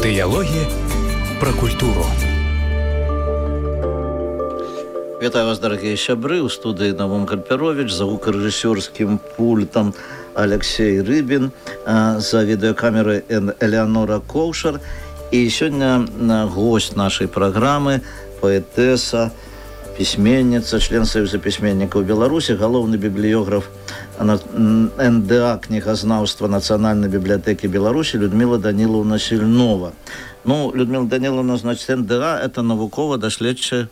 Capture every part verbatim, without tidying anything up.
Дыялогі пра культуру. Вітаю вас, дорогие сябры, у студии Навум Кальперович, за гукорежиссерским пультом Алексей Рыбин, за видеокамерой Элеонора Коушер. И сегодня гость нашей программы, поэтесса, письменница, член Союза письменников Беларуси, головный библиограф эн дэ а книгознавства Национальной библиотеки Беларуси Людмила Даниловна Сильнова. Ну, Людмила Даниловна, значит, эн дэ а – это навукова-даследчая,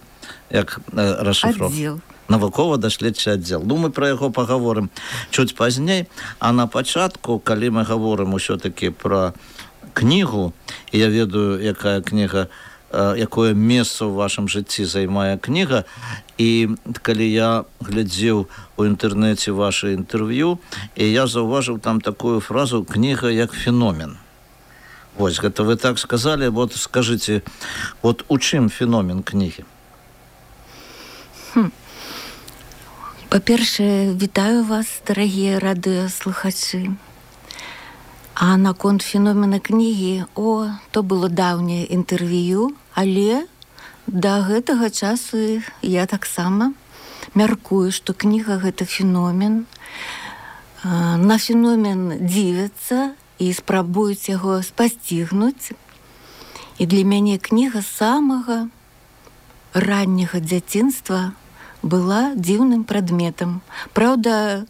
як э, расшифровка. Навукова-даследчий аддзел. Ну, мы про яго поговорим чуть поздней. А на початку, калі мы говорим усё-таки про книгу, и я ведаю, якая книга, э, якое месца в вашем житті займае книга, и калі я глядзеў у интернете ваше интервью, и я заўважыў там такую фразу «книга як феномен». Вот, это вы так сказали. Вот скажите, вот у чым феномен книги? Хм. Па-першае, вітаю вас, дарагія радыёслухачы. А наконт феномена кнігі, о, то было даўняе інтэрв'ю, але да гэтага часу я таксама мяркую, што кніга гэта феномен. На феномен дзівяцца і спрабуюць яго спасцігнуць. І для мяне кніга з самага ранняга дзяцінства была дзіўным прадметам. Праўда,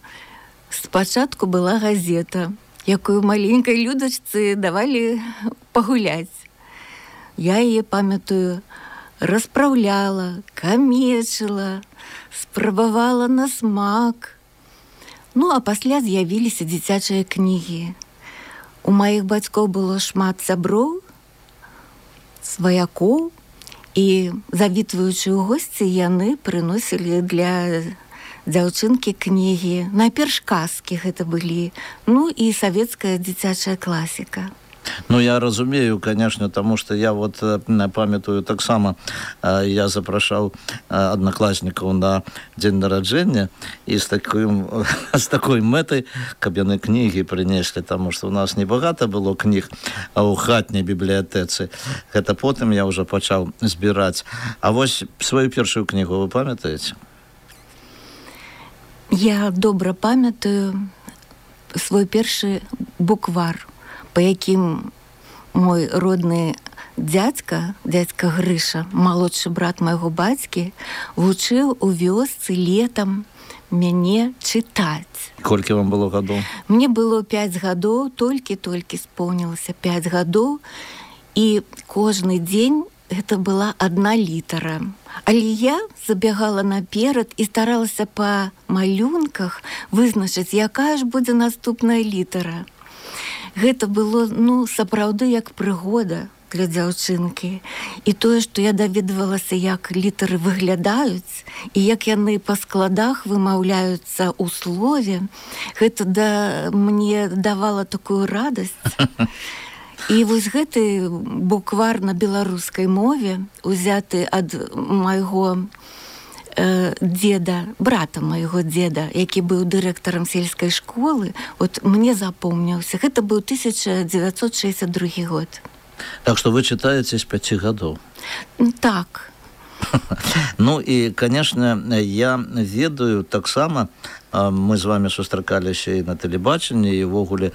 спачатку была газета, якую маленькай людачцы давалі пагуляць. Я яе, памятаю, распраўляла, камечыла, спрабавала на смак. Ну, а пасля з'явіліся дзіцячыя кнігі. У маіх бацькоў было шмат сяброў, сваякоў, і, завітваючы ў госці, яны прыносілі для дзяўчынкі кнігі. Найперш казкі гэта былі, ну і савецкая дзіцячая класіка. Ну, я разумею, конечно, потому что я вот памятаю таксама, я запрашаў одноклассников на день нараджэння, и с, таким, с такой мэтай, каб яны книги принесли, потому что у нас небагато было книг у хатняй библиотецы. Это потым я уже пачаў збирать. А вось свою першую книгу вы памятаете? Я добра памятаю свой першы буквар, по якім мой родны дзядзька, дзядзька Грыша, малодшы брат майго бацькі, вучыў у вёсцы летам мяне чытаць. Колькі вам было гадоў? Мне было пяць гадоў, толькі-толькі споўнілася пяць гадоў, і кожны дзень гэта была адна літара. Але я забягала наперад і старалася па малюнках вызначыць, якая ж будзе наступная літара. Гэта было, ну, сапраўды як прыгода для дзяўчынкі. І тое, што я даведвалася, як літары выглядаюць, і як яны па складах вымаўляюцца ў слове, гэта да, мне давала такую радасць. І вось гэты буквар на беларускай мове, узяты ад майго дзеда, брата майго дзеда, які быў дырэктарам сельскай школы, от мне запомніўся. Гэта быў тысяча дзевяцьсот шэсцьдзясят другі год. Так что вы читаете с пяти годов? Так. Ну и, конечно, я ведаю таксама, мы з вами сустракаліся і на тэлебачанні, і ввогуле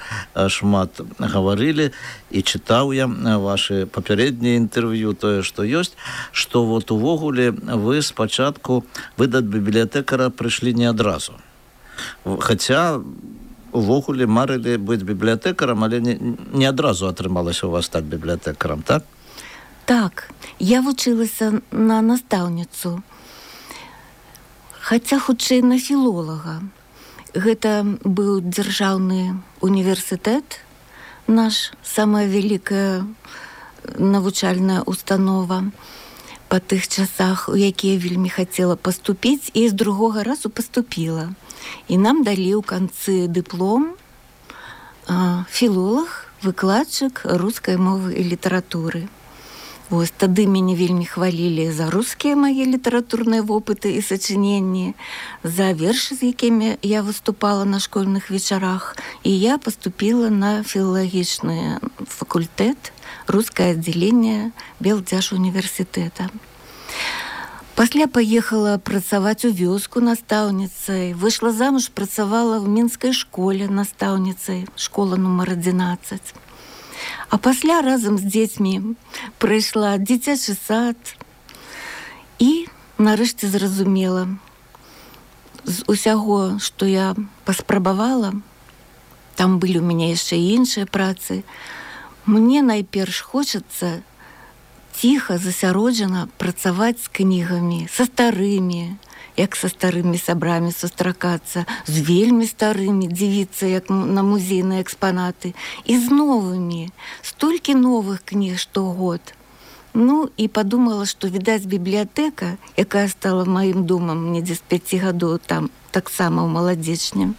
шмат гаварылі, і чытаў я ваши папярэднія інтэрв'ю, тое, што ёсць, што вот увогуле вы спачатку, вы да бібліятэкара прыйшлі не адразу. Хаця увогуле марылі быць бібліятэкарам, але не, не адразу атрымалася у вас стаць бібліятэкарам, так? Так, я вучылася на настаўніцу, хаця хутчэй на філолага. Гэта быў дзяржаўны універсітэт, наш самая вялікая навучальная установа па тых часах, у якія вельмі хацела паступіць, і з другога разу паступіла. І нам далі ў канцы дыплом філолаг, выкладчык рускай мовы і літаратуры. Вось, тады мяне вельмі хвалілі за рускія мае літаратурныя вопыты і сачыненні, за вершы, з якімі я выступала на школьных вечарах, і я паступіла на філалагічны факультэт, рускае аддзяленне Белдзяжуніверсітэта. Пасля паехала працаваць у вёску настаўніцай, выйшла замуж, працавала в мінскай школе настаўніцай, школа нумар адзінаццаць. А пасля разам з дзецьмі прыйшла дзіцячы сад і нарэшце зразумела, з усяго, што я паспрабавала, там былі ў мяне яшчэ і іншыя працы, мне найперш хочацца ціха, засяроджана працаваць з кнігамі, са старымі, як са старымі сябрамі сустракацца, з вельмі старымі, дзівіцца як на музейныя экспанаты, і з новымі, столькі новых кніг штогод. Ну, і падумала, што, відаць, бібліятэка, якая стала маім домам недзе з пяці гадоў, там таксама ў маладзечні,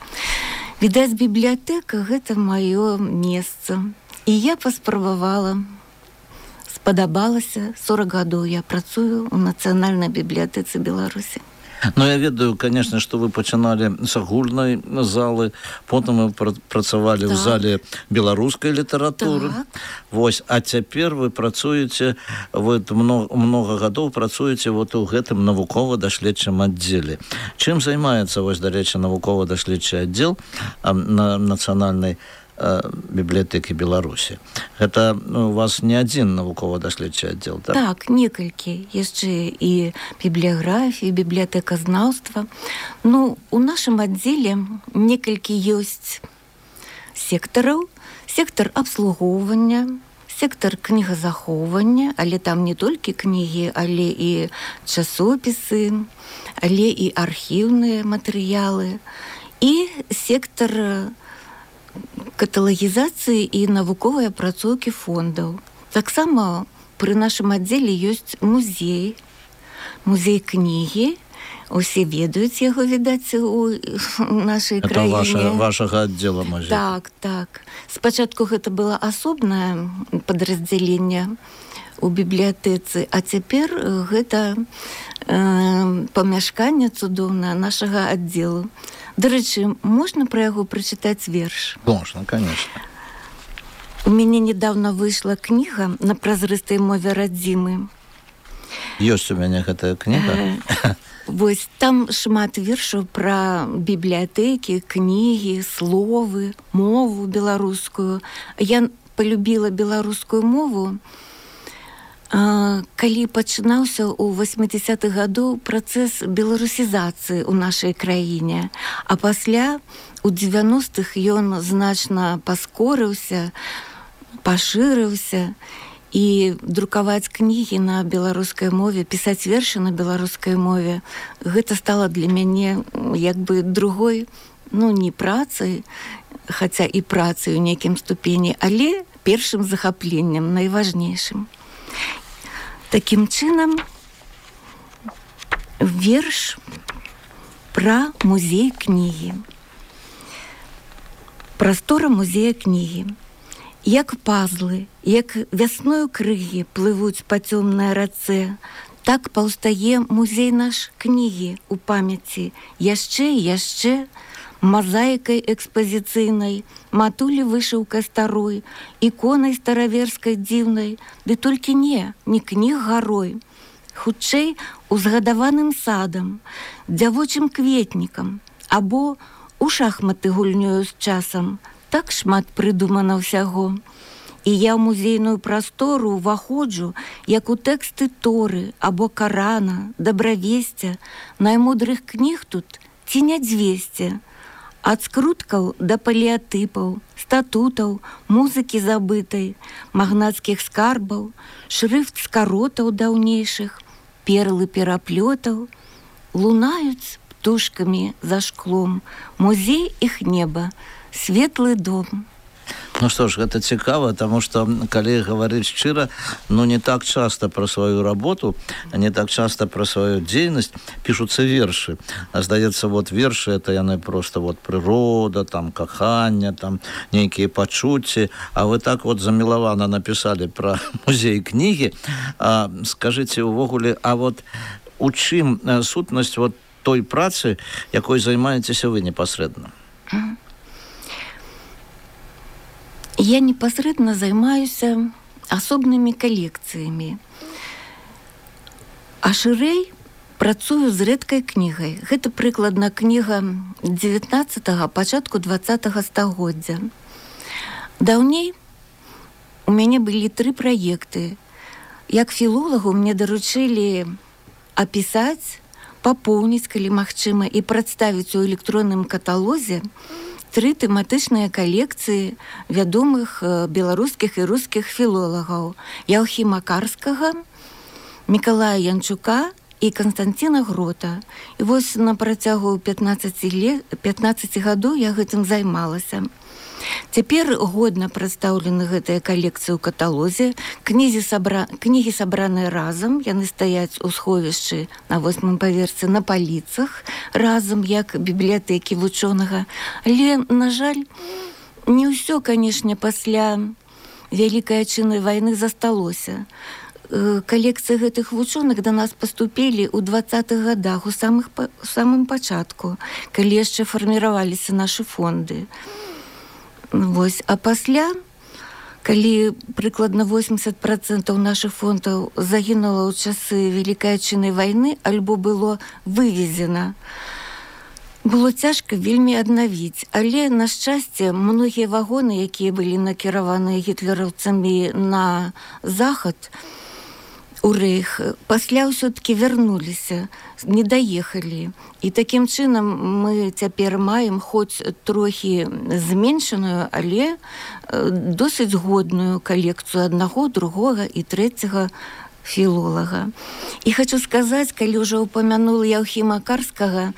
відаць, бібліятэка — гэта маё месца. І я паспрабавала, спадабалася, сорок гадоў я працую ў Нацыянальнай бібліятэцы Беларусі. Ну, я ведаю, конечно, что вы пачыналі з агульнай залы, потым вы працавалі так. в зале беларускай літаратуры. Так. Вось, а цяпер вы працуеце, вы много, много гадоў працуеце вот у гэтым навукова-даследчым аддзеле. Чым займаецца, вось, дарэчы, навукова-даследчы аддзел на Нацыянальнай бібліятэкі Беларусі? Гэта у вас не адзін навукова-даследчы аддзел, так? Так, некалькі. Яшчэ і бібліяграфія, бібліятэказнаўства. Ну, у нашым аддзеле некалькі ёсць сектараў. Сектар абслугоўвання, сектар кнігазахоўвання, але там не толькі кнігі, але і часопісы, але і архіўныя матэрыялы. І сектар каталагізацыі і навуковай апрацоўкі фондаў. Таксама пры нашым аддзеле ёсць музей, музей кнігі. Усе ведаюць яго, відаць, у нашай это краіне. Это вашага аддзела музей. Так, так. Спачатку гэта было асобнае падраздзяленне у бібліятэцы, а цяпер гэта э, памяшканне цудоўнае нашага аддзелу. Дарэчы, можна пра яго прачытаць верш? Можна, конечно. У мяне недавно выйшла кніга на празрыстай мове радзімы. Ёсць у мяне гэтая кніга. Вось, там шмат вершаў пра бібліятэкі, кнігі, словы, мову беларускую. Я полюбіла беларускую мову, калі пачынаўся ў восьмідзесятых гадоў працэс беларусізацыі ў нашай краіне, а пасля у дзевяностых ён значна паскорыўся, пашырыўся, і друкаваць кнігі на беларускай мове, пісаць вершы на беларускай мове, гэта стала для мяне як бы другой, ну, не працай, хаця і працай у нейкім ступені, але першым захапленнем, найважнейшым. Такім чынам, верш пра музей кнігі. Прастора музея кнігі. Як пазлы, як вясною крыгі плывуць па цёмнай рацэ, так паўстае музей наш кнігі ў памяці яшчэ і яшчэ, мазаікай экспазіцыйнай, матулі вышыўкай старой, іконай стараверскай дзіўнай, ды толькі не, не кніг гарой. Хутчэй узгадаваным садам, дзявочым кветнікам, або у шахматы гульнёю з часам. Так шмат прыдумана ўсяго. І я ў музейную прастору ўваходжу, як у тэксты Торы або Карана, дабравесця, наймудрых кніг тут ці не дзвесце. Ад скруткаў да палеатыпаў, статутаў, музыкі забытай, магнацкіх скарбаў, шрыфт скаротаў даўнейшых, перлы пераплётаў, лунаюць птушкамі за шклом, музей іх неба, светлы дом. Ну што ж, гэта цікава, таму што, калі гаварыць шчыра, ну не так часта пра сваю работу, не так часта пра сваю дзейнасць пішуцца вершы. А здаецца, вот вершы, это яны проста вот прырода, там каханне, там нейкія пачуцці, а вы так вот замілавана напісалі пра музей кнігі. А, скажыце увогуле, а вот у чым сутнасць вот той працы, якой займаецеся вы непасрэдна? я непасрэдна займаюся асобнымі калекцыямі. А шырэй працую з рэдкай кнігай. Гэта прыкладна кніга дзевятнаццатага, пачатку дваццатага стагоддзя. Даўней у мяне былі тры праекты. Як філолагу мне даручылі апісаць, папоўніць, калі магчыма, і прадставіць у электронным каталозе тры тэматычныя калекцыі вядомых беларускіх і рускіх філолагаў Яўхіма Карскага, Мікалая Янчука і Канстанціна Грота. І вось на працягу пятнаццаці гадоў я гэтым займалася. Цяпер годна прадстаўлены гэтыя калекцыі ў каталозе. Кнігі, сабра... Кнігі сабраныя разам, яны стаяць у сховішчы на восьмым паверсе на паліцах, разам як бібліятэкі вучонага. Але, на жаль, не ўсё, канешне, пасля Вялікай Адчыннай вайны засталося. Калекцыі гэтых вучоных да нас паступілі ў дваццатых гадах, у самых... у самым пачатку, калі яшчэ фарміраваліся нашы фонды. Вось, а пасля, калі прыкладна восемьдесят процентаў нашых фондаў загінула ў часы Вялікай Адчыннай вайны, альбо было вывезена, было цяжка вельмі аднавіць. Але, на шчасце, многія вагоны, якія былі накіраваныя гітлераўцамі на захад, у рэйх, пасля ўсё-такі вярнуліся, не даехалі. І такім чынам мы цяпер маем хоць трохі зменшаную, але досыць годную калекцыю аднаго, другога і трэцяга філолага. І хочу сказаць, калі ўжо упамянула Яўхіма Карскага,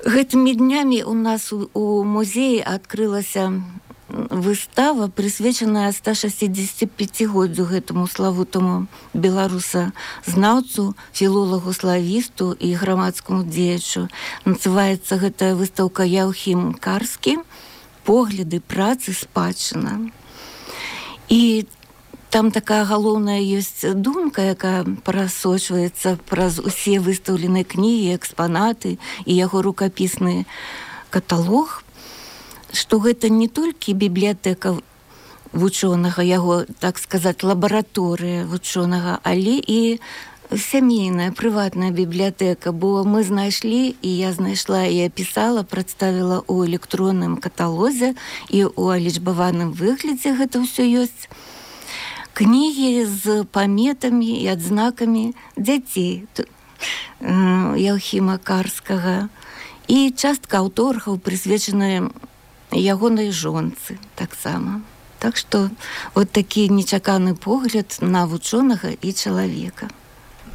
гэтымі днямі у нас у, у музеі адкрылася выстава, прысвечаная ста шэсцідзесяціпяцігоддзю гэтаму славутаму беларуса-знаўцу, філолагу-славісту і грамадскаму дзеячу. Называецца гэтая выстаўка «Яўхім Карскі. Погляды, працы, спадчына». І там такая галоўная ёсць думка, якая прасочваецца праз усе выстаўленыя кнігі, экспанаты і яго рукапісны каталог, што гэта не толькі бібліятэка вучонага, яго, так сказаць, лабараторыя вучонага, але і сямейная, прыватная бібліятэка, бо мы знайшлі, і я знайшла і апісала, прадставіла ў электронным каталозе і ў алічбаваным выглядзе гэта ўсё ёсць. Кнігі з паметамі і адзнакамі дзяцей Яўхіма Карскага і частка аўторгаў, прысвечаная ягонай жонцы таксама. Так што вот такі нечаканы погляд на вучонага і чалавека.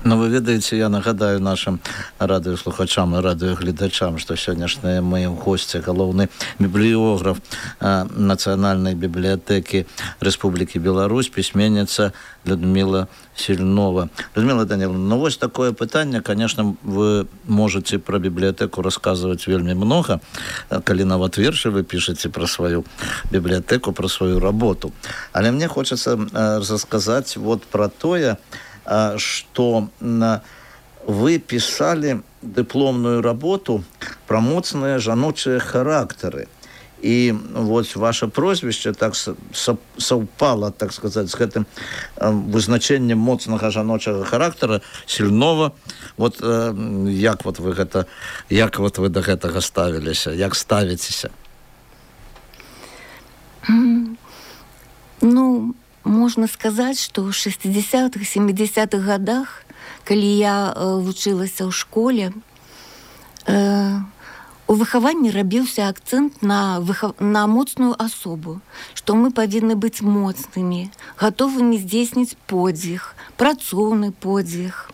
Ну, вы ведаеце, я нагадаю нашим радыёслухачам і радыёгледачам, што сённяшнія мои госці галоўны бібліёграф а, Нацыянальнай бібліятэкі Рэспублікі Беларусь, пісьменніца Людмила Сильнова. Людмила Даниловна, ну вось такое пытанне, конечно, вы можете про бібліятэку рассказывать вельмі много, калі нават вершы вы пішаце про сваю бібліятэку, про сваю работу. Але мне хочется а, рассказать вот про тое, что вы писали дипломную работу про моцныя жаночыя характары. И вот ваше прозвище так совпало, так сказать, с гэтым вызначением моцнага жаночага характара Сильнова. Вот як вот вы гэта, як вот вы до гэтага ставіліся, як ставіцеся? Ну, можно сказать, что в шестидесятых, семидесятых годах, калі я э, вучылася ў школе, э, у выхаванні рабіўся акцэнт на, выхав... на моцную асобу, што мы павінны быць моцнымі, гатовымі здзейсніць подзвіг, працоўны подзвіг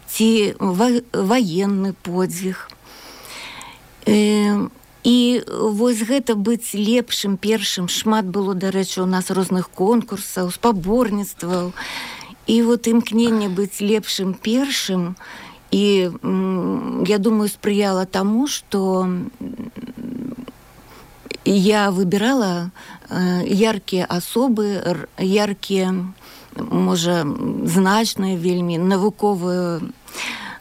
ці ва... ваенны подзвіг. Э, І вось гэта быць лепшым, першым, шмат было, дарэчы, у нас розных конкурсаў, спаборніцтваў. І вот імкненне быць лепшым, першым, і я думаю, спрыяла таму, што я выбірала яркія асобы, яркія, можа, значныя вельмі навуковыя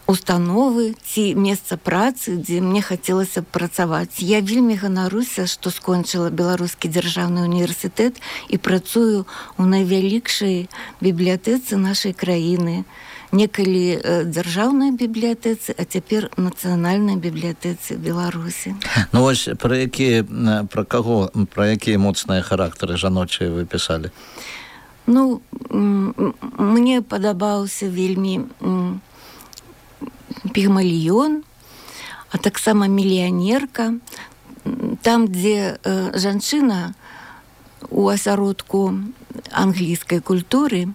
установы ці месца працы, дзе мне хацелася працаваць. Я вельмі ганаруся, што скончыла Беларускі дзяржаўны універсітэт і працую ў найвялікшай бібліятэцы нашай краіны. Некалі дзяржаўнай бібліятэцы, а цяпер нацыянальнай бібліятэцы Беларусі. Ну вось пра якія, пра каго, пра якія моцныя характары жаночыя вы пісалі? Ну, мне падабаўся вельмі Пігмаліён, а таксама мільянерка. Там, дзе э, жанчына у асяродку англійскай культуры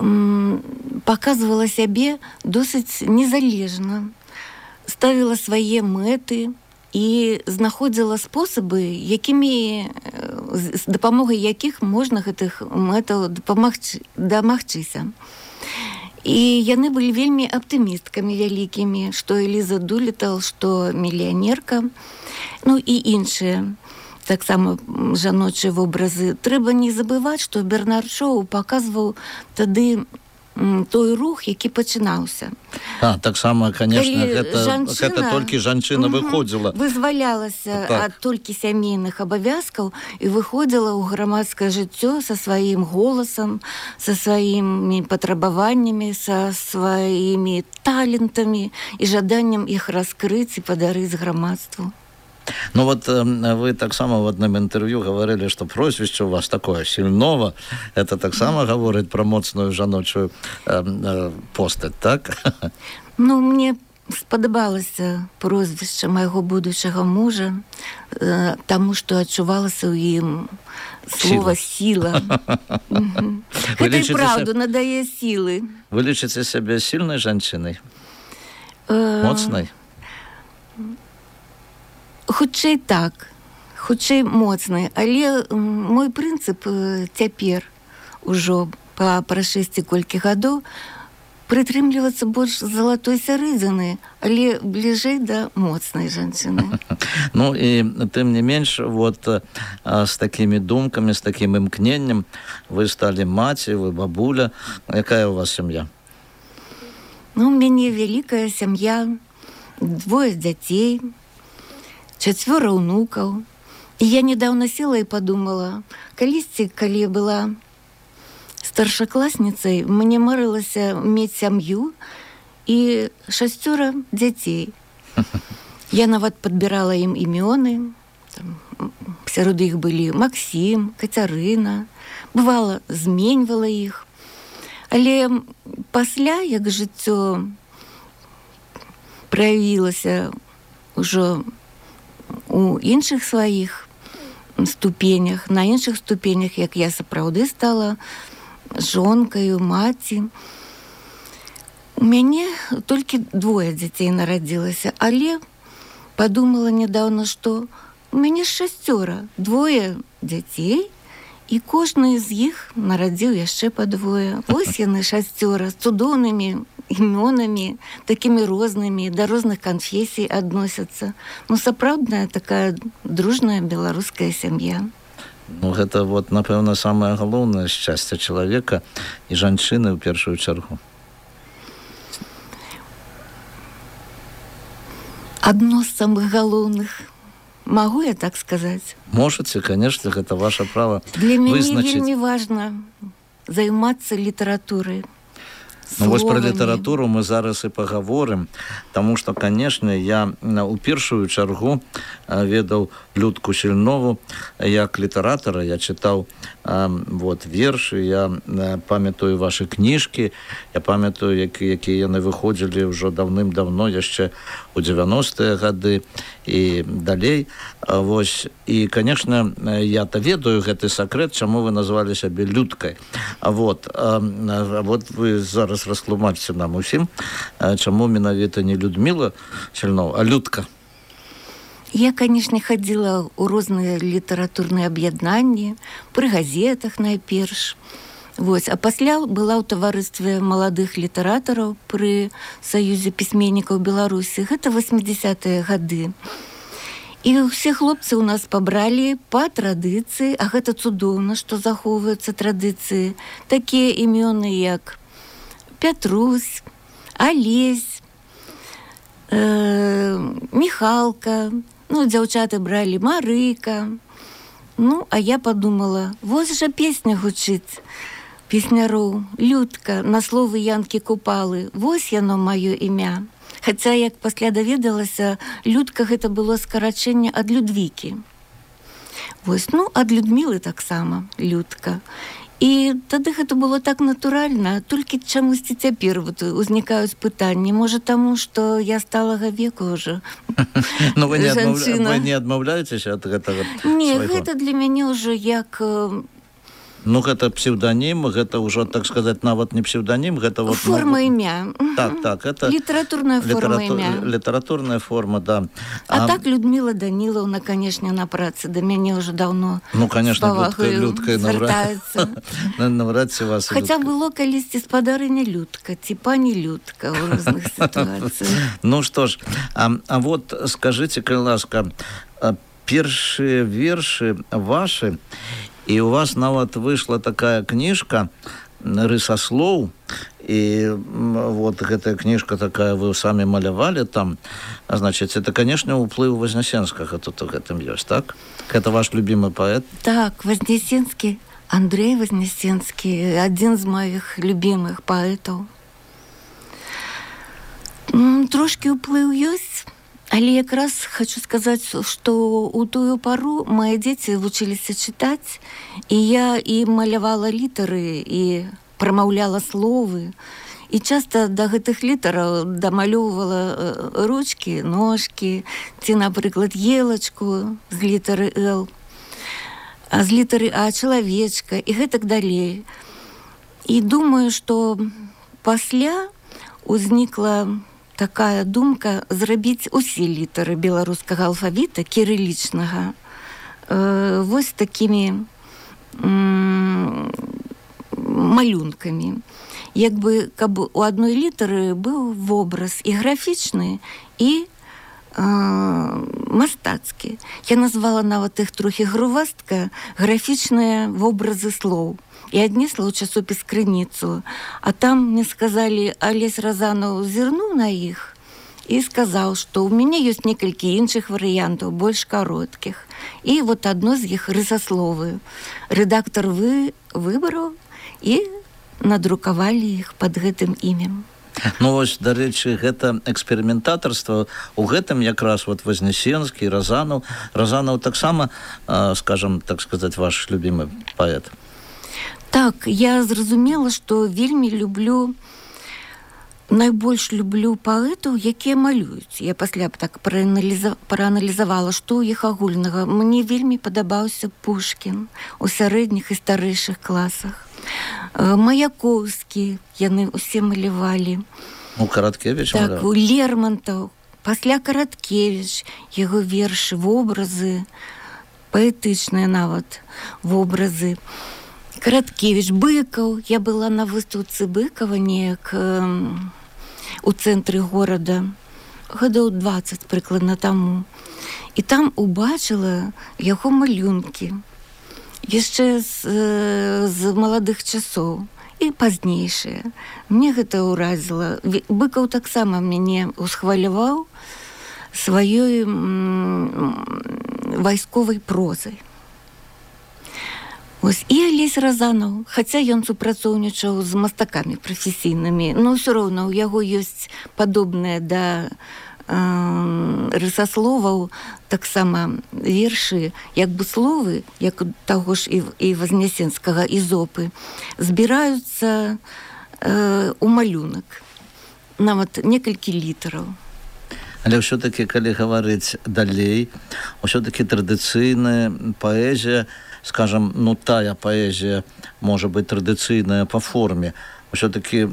м, паказвала сябе досыць незалежна, ставіла свае мэты і знаходзіла спосабы, якімі, з дапамогай якіх можна гэтых мэтаў дапамагчы, дамагчыся. І яны былі вельмі аптымісткамі вялікімі, што Эліза Дулітал, што мільянерка, ну і іншыя таксама жаночыя вобразы. Трэба не забываць, што Бернард Шоу паказваў тады той рух, які пачынаўся. А, таксама, конечно, гэта, жанчына, гэта толькі жанчына угу, выходзіла. Вызвалялася так. ад толькі сямейных абавязкаў і выходзіла ў грамадскае жыццё са сваім голасам, са сваімі патрабаваннямі, са сваімі талентамі і жаданнем іх раскрыць і падарыць грамадству. Ну вот вы таксама в одном интервью говорили, что прозвище у вас такое Сильнова. Это таксама mm. говорит про моцную жаночую э, э, постать, так? Ну, мне спадабалася прозвішча майго будучага мужа, э, таму што адчувалася ў ім слова сіла. Гэта і правду надае сілы. Вы лічыце сябе сильной жанчынай? Моцнай? Хутчэй так, хутчэй моцны, але мой прынцып цяпер ужо па прашэсці колькі гадоў прытрымлівацца больш залатой сярэдзіны, але бліжэй да моцнай жанчыны. Ну і тым не менш, вот з такімі думкамі, з такім імкненнем вы сталі маці, вы бабуля. Якая у вас сям'я? Ну, у мяне вялікая сям'я, двое дзяцей, чацвёра ўнукаў. І я недавно села і падумала, калісьці, калі была старшакласніцай, мне марылася мець сям'ю і шасцёра дзяцей. Я нават падбірала ім імёны. Там, сярод іх былі Максім, Кацярына. Бывала, зменьвала іх. Але пасля, як жыццё праявілася ўжо у іншых сваіх ступенях, на іншых ступенях, як я сапраўды стала жонкаю, маці. У мяне толькі двое дзяцей нарадзілася, але падумала нядаўна, што у мяне шасцёра, двое дзяцей, і кожны з іх нарадзіў яшчэ па двое. Вось яны шасцёра з цудоўнымі імёнамі, такімі рознымі, да розных канфесій адносяцца. Ну, сапраўдная такая дружная беларуская сям'я. Ну, гэта, вот, напэўна, самае галоўнае шчасце чалавека і жанчыны ў першую чаргу. Адно з самых галоўных. Могу я так сказаць? Можете, конечно, гэта ваше право вызначыць. Для мяне вельмі важна займацца літаратурай. Ну, вось про літаратуру мы зараз і пагаворым, таму што, канешне, я у першую чаргу ведаў Людку Сільнову як літаратара. Я чытаў вот, вершы, я памятаю вашы кніжкі, я памятаю, якія яны выходзілі ўжо даўным-давно, яшчэ у дзевяностыя гады і далей. Вось. І, канешне, я-то ведаю гэты сакрэт, чаму вы назвалі сябе Людкай. Вот. Вот вы зараз растлумачце нам усім, чаму менавіта не Людміла Сільнова, а Людка. Я, канешне, хадзіла ў розныя літаратурныя аб'яднанні, пры газетах найперш. Вось. А пасля была ў таварыстве маладых літаратараў пры Саюзе пісьменнікаў Беларусі. Гэта восьмідзесятыя гады. І ўсе хлопцы ў нас пабралі па традыцыі, а гэта цудоўна, што захоўваюцца традыцыі. Такія імёны, як Пятрусь, Алесь, э, Михалка, ну, дзяўчаты бралі Марыка. Ну, а я подумала, вось жа песня гучыць песняроў, Людка, на словы Янкі Купалы, вось яно маё імя. Хаця, як пасля даведалася, Людка гэта было скарачэнне ад Людвікі. Вось, ну, ад Людмілы таксама, Людка. І тады гэта было так натуральна, толькі чамусьці цяпер вот узнікаюць пытанні. Можа, таму, што я сталага веку ўжо. Ну, вы не, адмаўля... вы не адмаўляецеся ад гэтага? Не, свайго? Гэта для мяне ўжо як... Ну, гэта псевдонім, гэта ўжо, так сказаць, нават не псевдонім, гэта... Вот, форма ну, імя. Так, так, это... Літаратурная форма літератур... імя. Літаратурная форма, да. А, а так Людмила Данілаўна, канешне, на працы, да мяне ўжо даўно ну, конечно, Людка звяртаецца. Навряд ці вас... Хаця было калісьці спадарыня Людка, ці пані Людка ў розных сітуацыях. Ну, што ж, а, а вот скажыце, калі ласка, першыя вершы вашы, і у вас нават выйшла такая кніжка «Рысаслоў», і вот гэтая кніжка такая, вы самі малявалі там, значыць, это, канешне, уплыў Вознесенскага тут у гэтым ёсць, так? Гэта ваш любімы паэт? Так, Вознесенскі, Андрей Вознесенскі, адзін з маіх любімых паэтаў. Трошкі ўплыў ёсць, але якраз хочу сказаць, што ў тую пару мае дзеці вучыліся чытаць, і я і малявала літары, і прамаўляла словы, і часта да гэтых літараў дамалёўвала ручкі, ножкі, ці, напрыклад, елачку з літары «Л», а з літары «А» чалавечка, і гэтак далей. І думаю, што пасля узнікла такая думка зрабіць усе літары беларускага алфавіта кірылічнага э, вось такімі м- малюнкамі. Як бы, каб у адной літары быў вобраз і графічны, і э, мастацкі. Я назвала нават іх трохі грувастка графічныя вобразы слоў. І аднесла ў часопіс «Крыніцу», а там мне сказалі, Алесь Разанаў зірнуў на іх і сказаў, што ў мяне ёсць некалькі іншых варыянтаў, больш кароткіх. І вот адно з іх рысасловы. Рэдактар вы выбраў і надрукавалі іх пад гэтым імем. Ну, вось, дарэчы, гэта эксперыментатарства, у гэтым якраз вот Вознесенскі, Разанаў. Разанаў таксама, скажам, так сказаць, ваш любімы паэт. Так, я зразумела, што вельмі люблю, найбольш люблю паэтаў, якія малююць. Я пасля б так прааналіза... прааналізавала, што ў іх агульнага. Мне вельмі падабаўся Пушкін у сярэдніх і старэйшых класах. Маяковскі, яны ўсе малявалі. Ну, Караткевіч маляваў. Так, у Лермонтаў, пасля Караткевіч, яго вершы, вобразы, паэтычныя нават вобразы. Караткевіч, Быкаў. Я была на выстаўцы Быкава неяк э, у цэнтры горада гадоў дваццаць прыкладна таму. І там убачыла яго малюнкі яшчэ з, э, з маладых часоў і пазнейшыя. Мне гэта ўразіла. Быкаў таксама мяне усхваляваў сваёй м, вайсковай прозай. Ось, і Алесь Разанаў, хаця ён супрацоўнічаў з мастакамі прафесійнымі, но ўсё роўна ў яго ёсць падобныя да э, рысасловаў таксама вершы, як бы словы, як таго ж і, і Вознесенскага Ізопы, збіраюцца э, у малюнак, нават некалькі літараў. Але ўсё-такі, калі гаварыць далей, ўсё-такі традыцыйная паэзія, скажем, ну, тая паэзія, можа быць, традыцыйная па форме, ўсё-такі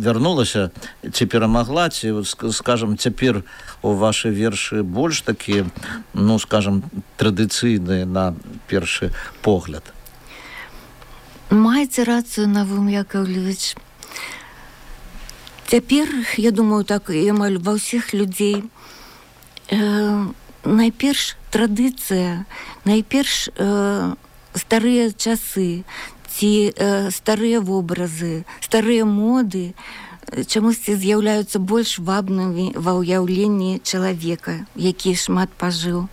вярнулася, ці перамагла, ці, скажем, цяпер у вашы вершы больш такія, ну, скажем, традыцыйныя на першы погляд? Маеце рацыю, Навум Яковлевич. Цяпер, я думаю, так і амаль ва ўсіх людзей, э, найперш традыцыя, найперш э, старыя часы, ці э, старыя вобразы, старыя моды, чамусьці з'яўляюцца больш вабнымі ва ўяўленні чалавека, які шмат пажыў.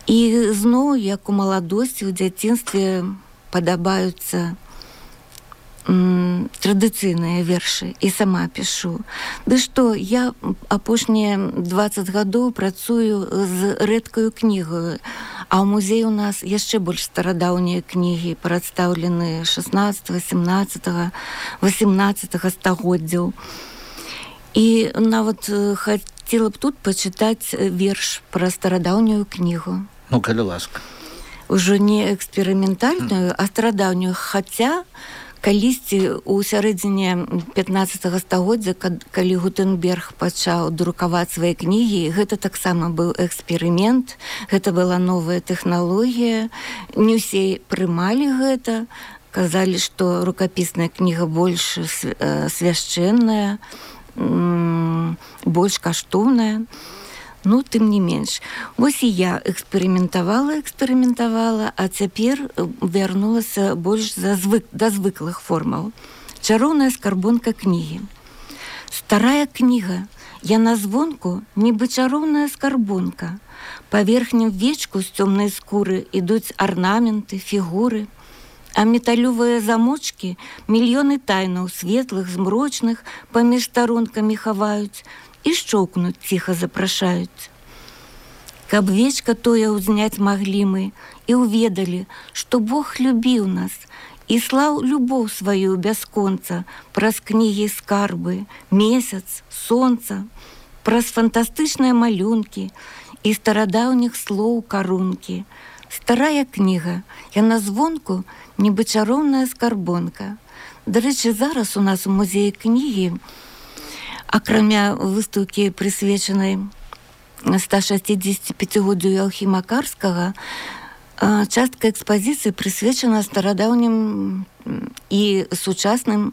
І зноў, як у маладосці, у дзяцінстве падабаюцца м, традыцыйныя вершы, і сама пішу. Ды што, я апошнія дваццаць гадоў працую з рэдкаю кнігаю, а ў музеі у нас яшчэ больш старадаўнія кнігі, прадстаўлены шаснаццатага, сямнаццатага, васемнаццатага стагоддзяў. І нават хацела б тут пачытаць верш пра старадаўнюю кнігу. Ну, калі ласка. Ужо не эксперыментальную, а старадаўнюю, хаця калісьці ў сярэдзіне пятнаццатага стагоддзя, калі Гутенберг пачаў друкаваць свае кнігі, гэта таксама быў эксперымент, гэта была новая тэхналогія, не ўсе прымалі гэта, казалі, што рукапісная кніга больш свяшчэнная, больш каштоўная. Ну, тым не менш. Вось і я эксперыментавала, эксперыментавала, а цяпер вярнулася больш за звык, да звыклых формаў. Чароўная скарбонка кнігі. Старая кніга, яна звонку, нібы чароўная скарбонка. Па верхнім вечку з цёмнай скуры ідуць арнаменты, фігуры, а металёвыя замочкі мільёны тайнаў светлых, змрочных паміж старонкамі хаваюць, і шчоўкнуць ціха запрашаюць. Каб вечка тое ўзняць маглі мы і ўведалі, што Бог любіў нас і слаў любоў сваю бясконца праз кнігі скарбы, месяц, сонца, праз фантастычныя малюнкі і старадаўніх слоў карункі. Старая кніга, яна звонку нібы чароўная скарбонка. Дарэчы, зараз у нас у музеі кнігі, акрамя выстаўкі, прысвечанай ста шэсцідзесяціпяцігоддзю Яўхіма Карскага, частка экспазіцыі прысвечана старадаўнім і сучасным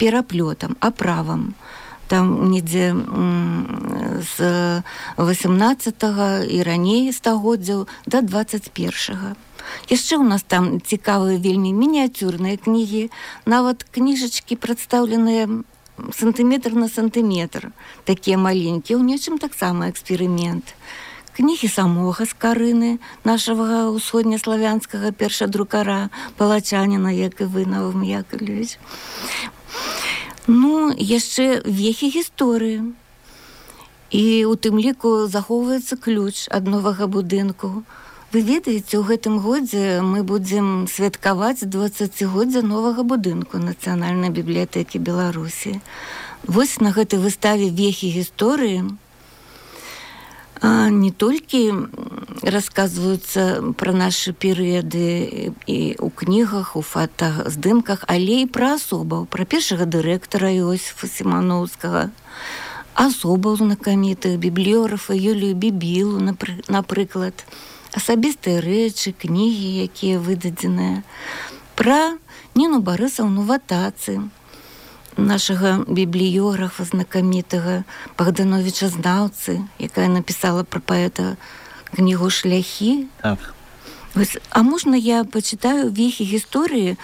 пераплётам, аправам. Там недзе з васемнаццатага і раней стагоддзяў да дваццаць першага. Яшчэ ў нас там цікавыя вельмі мініяцюрныя кнігі, нават кніжачкі прадстаўленыя сантыметр на сантыметр, такія маленькія, у нечым таксама эксперымент. Кнігі самога Скарыны, нашага ўсходнеславянскага першадрукара, палачаніна, як і вы, Навум Яковлевич. Ну, яшчэ вехі гісторыі. І у тым ліку захоўваецца ключ ад новага будынку. Вы ведаеце, у гэтым годзе мы будзем святкаваць дваццацігоддзя новага будынку Нацыянальнай бібліятэкі Беларусі. Вось на гэтай выставе вехі гісторыі не толькі расказваюцца пра нашы перыяды і ў кнігах, у фотаздымках, але і пра асобаў, пра першага дырэктара Іосіфа Сімановскага, асобаў знакамітых, бібліёграфа Юлію Бібілу, напрыклад, асабістыя рэчы, кнігі, якія выдадзеныя, пра Ніну Барысаўну Ватацы, нашага бібліёграфа знакамітага Богдановича Знаўцы, якая напісала пра паэта кнігу «Шляхі». Так. Вось, а можна я пачытаю вехі гісторыі?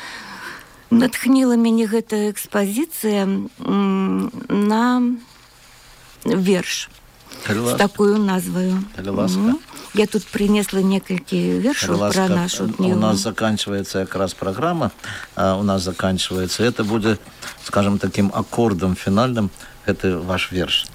Натхніла мяне гэтая экспазіцыя м, на верш з такою назваю. Угу. Я тут принесла некалькі вершаў про нашу книгу. У нас заканчивается как раз программа, а у нас заканчивается. Это будет, скажем, таким аккордом финальным. Это ваш верш.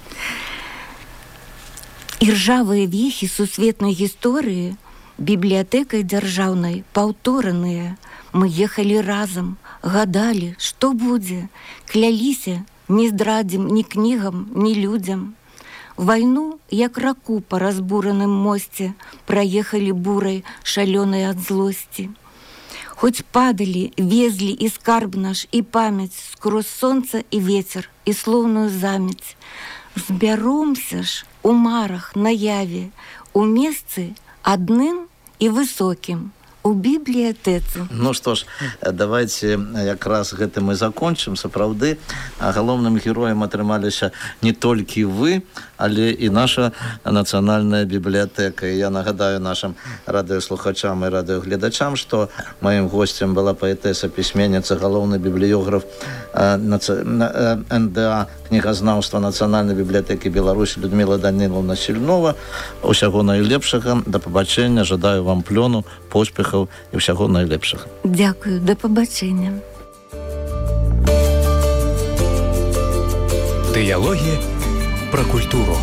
Іржавыя вехі сусветнай гісторыі бібліятэкай дзяржаўнай паўтораныя. Мы ехалі разам, гадалі, што будзе, кляліся, не здрадзім ні кнігам, ні людзям. Вайну, як раку па разбураным мосце, праехалі бурай, шалёнай ад злосці. Хоць падалі, везлі і скарб наш, і памяць скрозь сонца і вецер, і слоўную замяць. Збяромся ж у марах, наяве, у месцы адным і высокім, у бібліятэцы. Ну што ж, давайте якраз гэтым і закончым. Сапраўды, галоўным героем атрымаліся не толькі вы, але і наша нацыянальная бібліятэка. І я нагадаю нашим радыёслухачам і радыёгледачам, што маім госцем была паэтэса, пісьменніца, галоўны бібліёграф эн дэ а кнігазнаўства Нацыянальнай бібліятэкі Беларусі Людміла Данілаўна Сільнова. Усяго найлепшага, да пабачэння, жадаю вам плёну, поспехаў і ўсяго найлепшага. Дзякую, да пабачэння. Дыялогі пра культуру.